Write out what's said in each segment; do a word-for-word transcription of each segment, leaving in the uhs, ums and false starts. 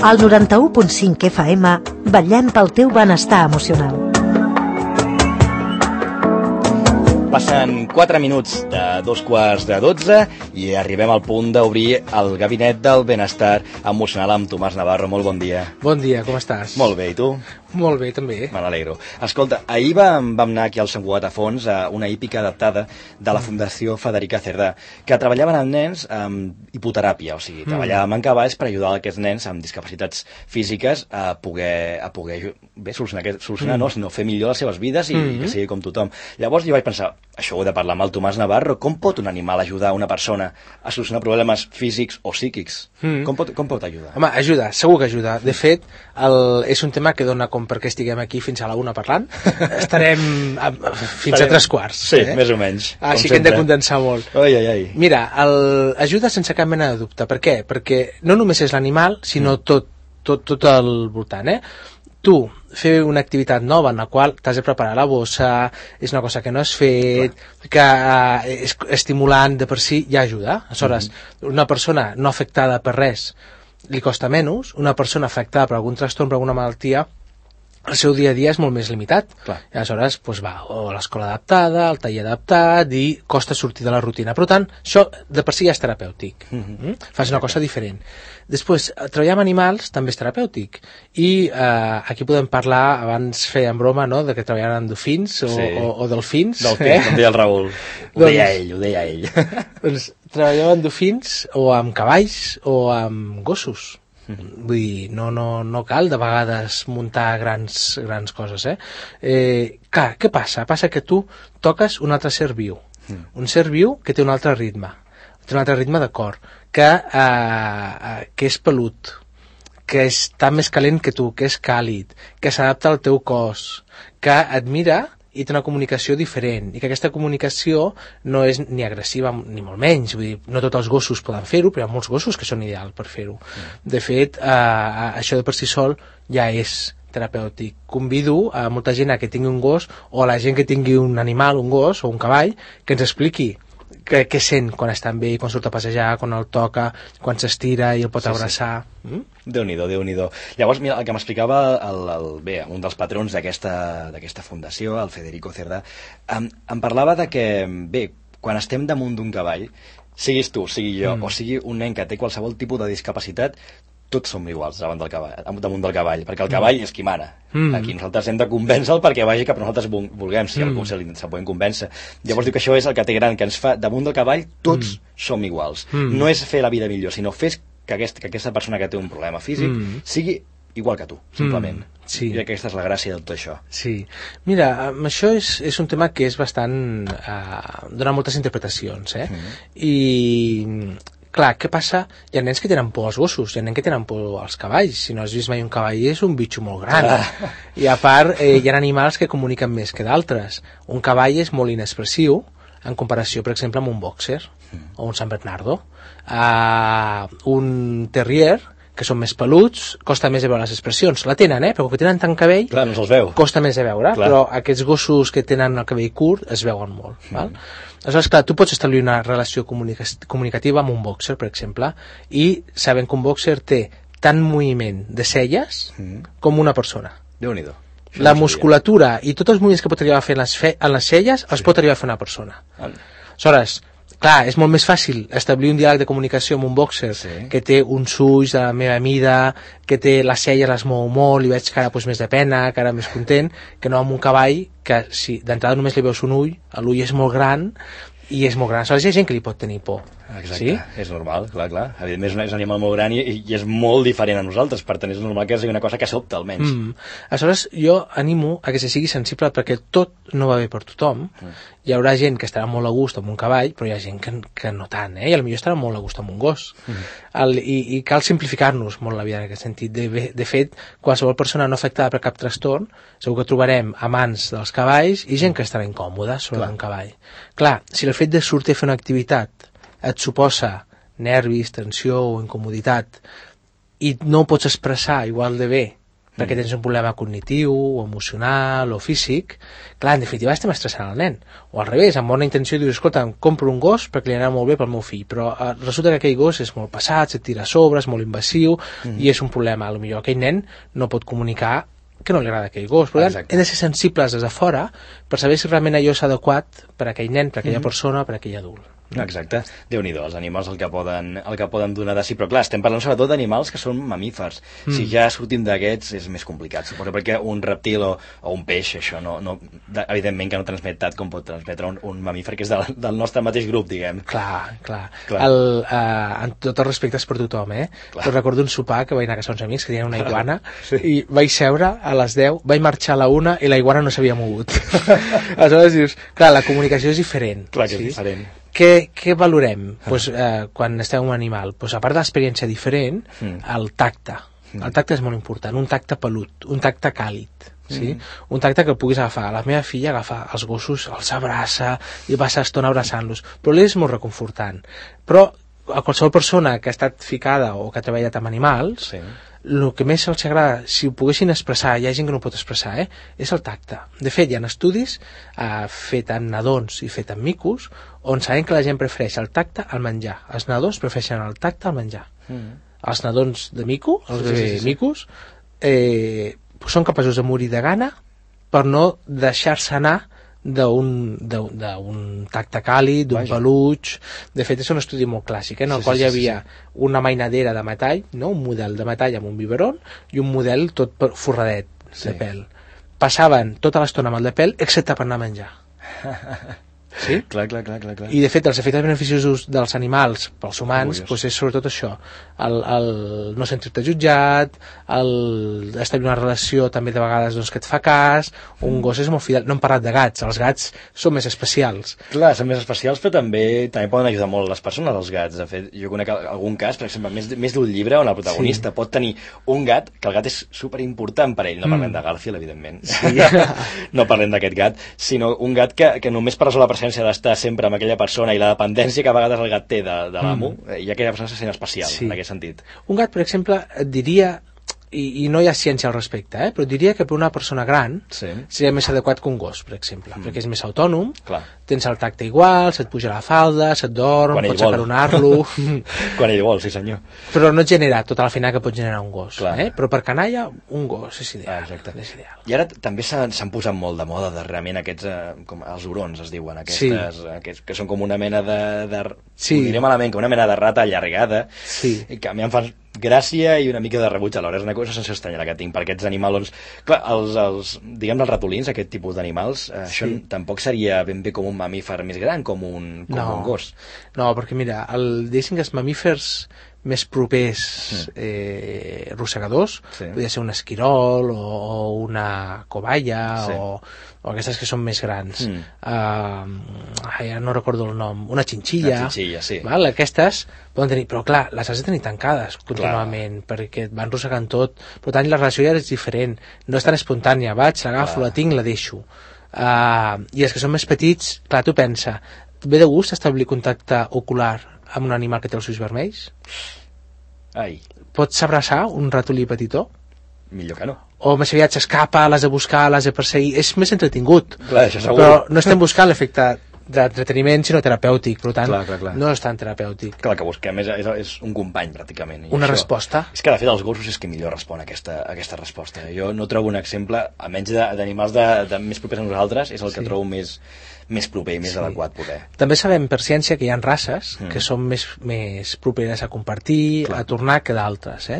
Al noranta-u punt cinc F M vetllem pel teu benestar emocional. Passen quatre minuts de dos quarts de dotze i arribem al punt d'obrir el gabinet del benestar emocional amb Tomàs Navarro. Molt bon dia. Bon dia, com estàs? Molt bé, i tu? Molt bé, també. Me n'alegro. Escolta, ahir vam, vam anar aquí al Sant Cugat a Fons a una hípica adaptada de la Fundació Federica Cerdà, que treballaven amb nens amb hipoteràpia, o sigui, treballàvem amb cavalls per ajudar aquests nens amb discapacitats físiques a poder, a poder bé, solucionar, solucionar mm. no, sinó fer millor les seves vides i mm. que sigui com tothom. Llavors jo vaig pensar, això ho he de parlar amb el Tomàs Navarro, com pot un animal ajudar una persona a solucionar problemes físics o psíquics? Mm. Com, pot, com pot ajudar? Home, ajuda, segur que ajuda. De fet, el, és un tema que dona com perquè estiguem aquí fins a la una parlant. Estarem a, fins Estarem... a tres quarts. Sí, eh? més o menys. Així que hem de condensar molt. Ai, ai, ai. Mira, el, ajuda sense cap mena de dubte. Per què? Perquè no només és l'animal, sinó mm. tot, tot, tot el voltant, eh? Tu, fer una activitat nova en la qual t'has de preparar la bossa, és una cosa que no has fet, clar, que uh, és estimulant de per si, ja ajuda. Aleshores, mm-hmm. una persona no afectada per res li costa menys, una persona afectada per algun trastorn, per alguna malaltia, el seu dia a dia és molt més limitat. Clar. I aleshores doncs va o a l'escola adaptada, al taller adaptat, i costa sortir de la rutina. Per tant, això de per si ja és terapèutic. Mm-hmm. Mm? Fas una cosa diferent. Després, treballar amb animals també és terapèutic. I eh, aquí podem parlar, abans feien broma, no?, de que treballaven amb dofins o, sí. o, o delfins. Delfins, eh? Com deia el Raül. Ho doncs, deia ell, ho deia ell. Doncs treballàvem amb dofins o amb cavalls o amb gossos. Vull dir, no, no, no cal de vegades muntar grans, grans coses, eh? eh? Clar, què passa? Passa que tu toques un altre ser viu, mm. un ser viu que té un altre ritme, té un altre ritme de cor, que, eh, que és pelut, que està més calent que tu, que és càlid, que s'adapta al teu cos, que et mira i té una comunicació diferent, i que aquesta comunicació no és ni agressiva ni molt menys, vull dir, no tots els gossos poden fer-ho, però hi ha molts gossos que són ideals per fer-ho. Mm. De fet, eh, això de per si sol ja és terapèutic. Convido a molta gent a que tingui un gos, o a la gent que tingui un animal, un gos o un cavall, que ens expliqui què, què sent quan està amb ell, quan surt a passejar, quan el toca, quan s'estira i el pot sí, abraçar. Sí. Mm? Déu-n'hi-do, Déu-n'hi-do. Llavors, mira, el que m'explicava el, el, bé, un dels patrons d'aquesta fundació, el Federico Cerdà, em, em parlava de que, bé, quan estem damunt d'un cavall, siguis tu, sigui jo, mm. o sigui un nen que té qualsevol tipus de discapacitat, tots som iguals davant del cavall, damunt del cavall, perquè el cavall mm. és qui mana. Mm. Aquí nosaltres hem de convèncer-lo perquè vagi cap a nosaltres vulguem, si mm. algú se li se podem convèncer. Llavors sí. diu que això és el que té gran, que ens fa, damunt del cavall, tots mm. som iguals. Mm. No és fer la vida millor, sinó fer que, aquest, que aquesta persona que té un problema físic mm. sigui igual que tu, simplement. Mm. Sí. I aquesta és la gràcia de tot això. Sí. Mira, això és, és un tema que és bastant... Uh, dona moltes interpretacions, eh? Mm. I... Clar, què passa? Hi ha nens que tenen por als gossos, hi ha nens que tenen por als cavalls. Si no has vist mai un cavall, és un bitxo molt gran. Ah. I a part, eh, hi ha animals que comuniquen més que d'altres. Un cavall és molt inexpressiu en comparació, per exemple, amb un boxer mm. o un San Bernardo. Uh, un terrier, que són més peluts, costa més de veure les expressions. La tenen, eh? Però que tenen tant cabell, clar, no se'ls veu. Costa més de veure, clar. Però aquests gossos que tenen el cabell curt es veuen molt. Mm. Val? Aleshores, clar, tu pots establir una relació comunica comunicativa amb un boxer, per exemple, i sabent que un boxer té tant moviment de celles mm. com una persona. Déu-n'hi-do. La musculatura i tots els moviments que pot arribar a fer en les, fe en les celles sí. els pot arribar a fer una persona. Ah. Aleshores, clar, és molt més fàcil establir un diàleg de comunicació amb un boxer sí. que té uns ulls de la meva mida, que té les celles, les mou molt, i veig cara pues, més de pena, cara més content, que no amb un cavall que si d'entrada només li veus un ull, l'ull és molt gran i és molt gran. Aleshores hi ha gent que li pot tenir por. Exacte, sí? És normal, clar, clar. Evidentment és un animal molt gran i, i és molt diferent a nosaltres, per tant és normal que sigui una cosa que sobta almenys. Mm. Aleshores jo animo a que se sigui sensible perquè tot no va bé per tothom. Mm. Hi haurà gent que estarà molt a gust amb un cavall, però hi ha gent que, que no tant, eh? I potser estarà molt a gust amb un gos. Mm. El, i, I cal simplificar-nos molt la vida en aquest sentit. De, de fet, qualsevol persona no afectada per cap trastorn, segur que trobarem amants dels cavalls i gent que estarà incòmoda sobre un cavall. Clar, si el fet de sortir a fer una activitat et suposa nervis, tensió o incomoditat i no ho pots expressar igual de bé perquè tens un problema cognitiu, o emocional, o físic, clar, en definitiva estem estressant el nen. O al revés, amb bona intenció dius, escolta, em compro un gos perquè li anava molt bé pel meu fill, però eh, resulta que aquell gos és molt passat, se't tira a sobre, és molt invasiu, mm. i és un problema. A lo millor aquell nen no pot comunicar que no li agrada aquell gos. Per tant, hem de ser sensibles des de fora per saber si realment allò és adequat per a aquell nen, per a aquella mm. persona, per a aquell adult. Exacte, Déu-n'hi-do, els animals el que poden, el que poden donar de si, però clar, estem parlant sobretot d'animals que són mamífers. Mm. Si ja sortim d'aquests és més complicat, suposo, perquè un reptil o, o un peix, això no, no, evidentment que no transmet tant com pot transmetre un, un mamífer que és del, del nostre mateix grup, diguem. Clar, clar. clar. El, uh, en tots els respectes per tothom, eh? Clar. Però recordo un sopar que vaig anar a casa uns amics que tenien una iguana sí. i vaig seure a les deu, vaig marxar a la una i la iguana no s'havia mogut. Aleshores dius, clar, la comunicació és diferent. Clar que sí? és diferent. Què, què valorem pues, eh, quan estem amb un animal? Pues, a part de l'experiència diferent, mm. el tacte. Mm. El tacte és molt important, un tacte pelut, un tacte càlid. Sí? Mm. Un tacte que puguis agafar. La meva filla agafa els gossos, els abraça i passa estona abraçant-los, però li és molt reconfortant. Però a qualsevol persona que ha estat ficada o que ha treballat amb animals, sí. el que més els agrada, si ho poguessin expressar, hi ha gent que no ho pot expressar, eh? és el tacte. De fet, hi ha estudis eh, fet en nadons i fet en micos on sabem que la gent prefereix el tacte al menjar. Els nadons prefereixen el tacte al menjar. Mm. Els nadons de mico, els sí, sí, sí, sí. micos, eh, són capaços de morir de gana per no deixar-se anar d'un tacte càlid, d'un peluig. De fet, és un estudi molt clàssic, eh, en el sí, qual sí, hi havia sí, sí. una mainadera de metall, no? Un model de metall amb un biberon i un model tot forradet sí. de pèl. Passaven tota l'estona amb el de pèl, excepte per anar a menjar. Sí? Clar, clar, clar, clar, clar. I de fet els efectes beneficiosos dels animals pels humans pues, és sobretot això, el, el no sentir-te jutjat, el establir una relació també de vegades doncs, que et fa cas, un gos és molt fidel. No hem parlat de gats, els gats són més especials. Clar, són més especials, però també també poden ajudar molt les persones, els gats. De fet, jo conec algun cas, per exemple, més, més d'un llibre on el protagonista sí. pot tenir un gat, que el gat és superimportant per ell. No parlem mm. de Garfield, evidentment. Sí. no parlem d'aquest gat, sinó un gat que, que només per resoldre la presència d'estar sempre amb aquella persona i la dependència que a vegades el gat té de, de l'amo, mm. i aquella persona se sent especial, sí. en aquest sentit. Un gat, per exemple, et diria, i, i no hi ha ciència al respecte, eh? però diria que per una persona gran sí. seria més adequat que un gos, per exemple, mm. perquè és més autònom, Clar. tens el tacte igual, se't puja la falda, se't dorm, Quan pots acaronar-lo... Quan ell vol, sí senyor. Però no et genera tota la feina que pot generar un gos, eh? però per canalla, un gos és ideal. Ah, és ideal. I ara també s'han posat molt de moda darrerament aquests, eh, com els hurons es diuen, aquestes, sí. aquests, que són com una mena de... de sí. Ho diré malament, com una mena de rata allargada, sí. que a mi em fan gràcia i una mica de rebuig alhora. És una cosa sense estranya la que tinc per aquests animals. Clar, els, els, diguem els ratolins, aquest tipus d'animals, eh, sí. això tampoc seria ben bé com un mamífer més gran, com un, com no. un gos. No, perquè mira, el, diguéssim que els mamífers més propers eh, rosegadors, sí. podria ser un esquirol o, o una cobaya sí. o, o aquestes que són més grans. Mm. Uh, ja no recordo el nom. Una xinxilla. Una xinxilla, sí. Val? Aquestes poden tenir, però clar, les has de tenir tancades contínuament, clar. perquè et van rossegant tot. Per tant, la relació ja és diferent. No és tan espontània. Vaig, l'agafo, la tinc, la deixo. Uh, I els que són més petits, clar, tu pensa, ve de gust establir contacte ocular amb un animal que té els ulls vermells? Ai. Pots abraçar un ratolí petitó? Millor que no. O més aviat s'escapa, l'has de buscar, l'has de perseguir. És més entretingut. Clar, això segur. Però no estem buscant l'efecte d'entreteniment, sinó terapèutic. Per tant, clar, clar, clar. no és tan terapèutic. Clar, que busquem és, és, és un company, pràcticament. I una això, resposta. És que, de fet, els gossos és que millor respon a aquesta, a aquesta resposta. Jo no trobo un exemple, almenys d'animals de, de, més propers a nosaltres, és el que sí. trobo més... més proper i més sí. adequat poder. També sabem per ciència que hi ha races mm. que són més, més properes a compartir, Clar. a tornar que d'altres. Eh?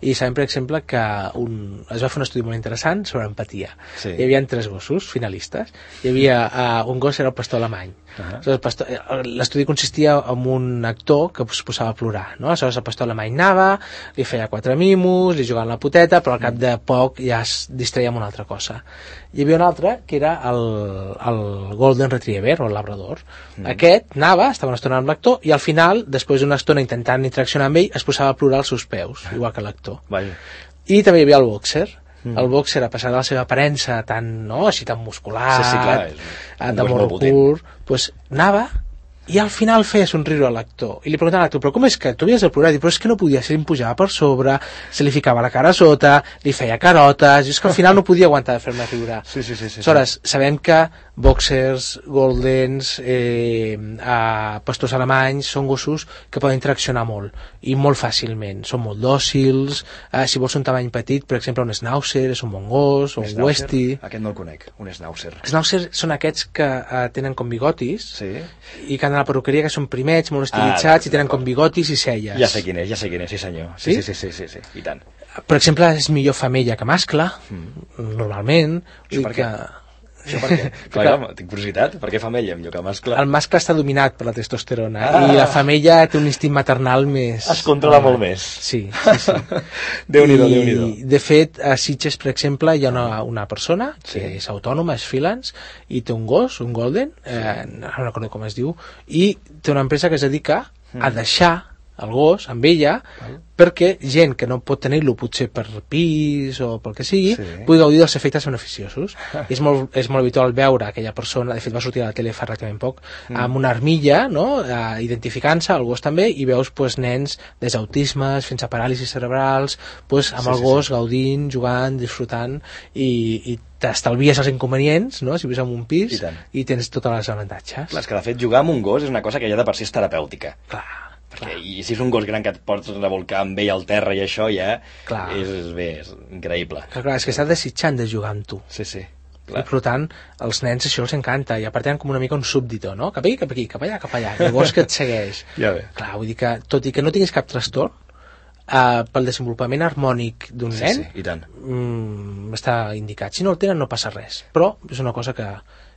I sabem, per exemple, que un, es va fer un estudi molt interessant sobre empatia. Sí. Hi havia tres gossos finalistes. Hi havia uh, un gos era el pastor alemany. Uh -huh. L'estudi consistia en un actor que es posava a plorar. No? Aleshores el pastor alemany anava, li feia quatre mimos, li jugava la poteta, però al cap de poc ja es distreia amb una altra cosa. Hi havia un altre que era el, el Golden Retriever o el Labrador. Mm. Aquest anava, estava una estona amb l'actor i al final, després d'una estona intentant interaccionar amb ell, es posava a plorar als seus peus, igual que l'actor. I també hi havia el boxer. Mm. El boxer, a pesar de la seva aparença tan, no, així tan muscular, sí, sí, clar, és un, de morro curt, pues, anava i al final feia somriure a l'actor i li preguntava a l'actor, però com és que tu havies de plorar? Però és que no podia ser, em pujava per sobre, se li ficava la cara a sota, li feia carotes, i és que al final no podia aguantar de fer-me riure. Sí, sí, sí, sí, aleshores, sí. Sabem que boxers, goldens, eh, eh, pastors alemanys són gossos que poden interaccionar molt i molt fàcilment, són molt dòcils, eh, si vols un tamany petit, per exemple un schnauzer és un bon gos, o un, un westie. Aquest no el conec, un schnauzer. Schnauzer són aquests que eh, tenen com bigotis, sí. I que han a la perruqueria, que són primets, molt estilitzats, ah, i tenen com bigotis i celles. Ja sé quin és, ja sé quin és, sí senyor. Sí, sí, sí, sí, sí, sí, sí. I tant. Per exemple, és millor femella que mascle, mm. normalment. Això per què? Que... Això per què? Clar, clar, tinc curiositat, per què femella millor que mascle? El mascle està dominat per la testosterona, ah. i la femella té un instint maternal més... Es controla ah. molt més. Sí, sí, sí. Déu-n'hi-do, Déu-n'hi-do. De fet, a Sitges, per exemple, hi ha una, una persona que sí. és autònoma, és freelance, i té un gos, un golden, sí. eh, no recordo com es diu, i té una empresa que es dedica mm. a deixar el gos amb ella, ah. perquè gent que no pot tenir-lo potser per pis o pel que sigui, sí. pugui gaudir dels efectes beneficiosos. és, molt, és molt habitual veure aquella persona, de fet va sortir a la tele fa relativament poc, mm. amb una armilla, no? eh, identificant-se, el gos també, i veus pues, nens des d'autismes fins a paràlisis cerebrals, pues, amb sí, el gos sí, sí. gaudint, jugant, disfrutant, i, i t'estalvies els inconvenients, no? Si vius en un pis, i, i tens tots els avantatges. Clar, és que de fet jugar amb un gos és una cosa que ja de per si és terapèutica. Clar. Perquè, i si és un gos gran que et pots revolcar amb ell al terra i això ja clar. és, és bé, és increïble. Clar, clar, és que està desitjant de jugar amb tu. Sí, sí. Clar. I per tant, als nens això els encanta, i a part tenen com una mica un súbdito, no? Cap aquí, cap aquí, cap allà, cap allà, i el gos que et segueix. Ja ve. Clar, vull dir que, tot i que no tinguis cap trastorn, uh, pel desenvolupament harmònic d'un sí, nen, sí, i tant. Mm, està indicat. Si no el tenen no passa res, però és una cosa que,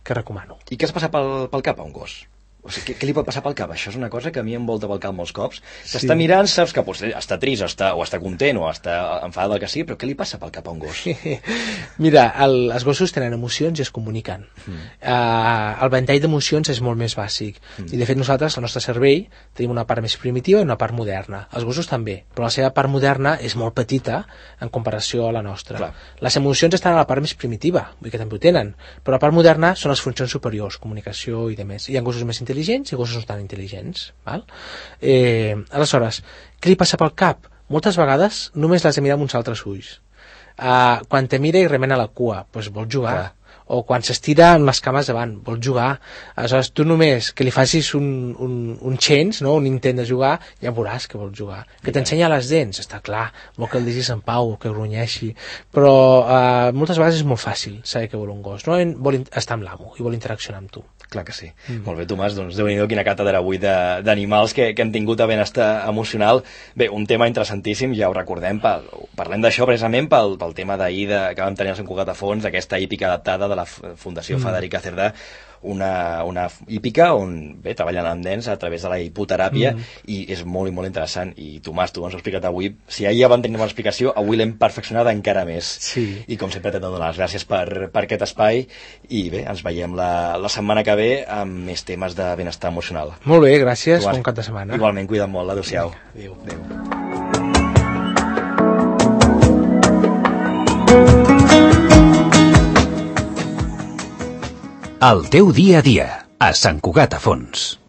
que recomano. I què es passa pel, pel cap a un gos? O sigui, què, què li pot passar pel cap? Això és una cosa que a mi em volta pel cap molts cops. S'està sí. mirant, saps que potser està trist, està, o està content, o està enfadat del que sigui, però què li passa pel cap a un gos? Mira, el, els gossos tenen emocions i es comuniquen. Mm. Uh, el ventall d'emocions és molt més bàsic. Mm. I de fet nosaltres, el nostre cervell, tenim una part més primitiva i una part moderna. Els gossos també, però la seva part moderna és molt petita en comparació a la nostra. Clar. Les emocions estan a la part més primitiva, vull dir que també ho tenen, però la part moderna són les funcions superiors, comunicació i demés. Hi ha gossos més intel·ligents i gossos no tan intel·ligents, val? Eh, aleshores, què li passa pel cap? Moltes vegades només l'has de mirar amb uns altres ulls. Uh, quan te mira i remena la cua, doncs vol jugar. Clar. O quan s'estira amb les cames davant, vol jugar. Aleshores, tu només que li facis un, un, un change, no? Un intent de jugar, ja veuràs que vol jugar. Que t'ensenya les dents, està clar, vol que el deixis en pau, que grunyeixi, però uh, moltes vegades és molt fàcil saber què vol un gos, no? Vol estar amb l'amo i vol interaccionar amb tu. Clar que sí. Mm. Molt bé, Tomàs, doncs Déu-n'hi-do quina càtedra avui d'animals que, que han tingut a benestar emocional. Bé, un tema interessantíssim, ja ho recordem, pel, parlem d'això precisament pel, pel tema d'ahir que vam tenir a Sant Cugat a Fons, aquesta hípica adaptada de la Fundació mm. Federica Cerdà, una, una hípica on bé, treballen amb nens a través de la hipoteràpia mm. i és molt i molt interessant. I Tomàs, tu ens ho has explicat avui, si ahir ja vam tenir una explicació, avui l'hem perfeccionat encara més. Sí. I com sempre t'he de donar les gràcies per, per aquest espai i bé, ens veiem la, la setmana que ve amb més temes de benestar emocional. Molt bé, gràcies, Tomàs, bon cap de setmana. Igualment, cuida't molt, adéu-siau. Adéu. Adéu. El teu dia a dia, a Sant Cugat a Fons.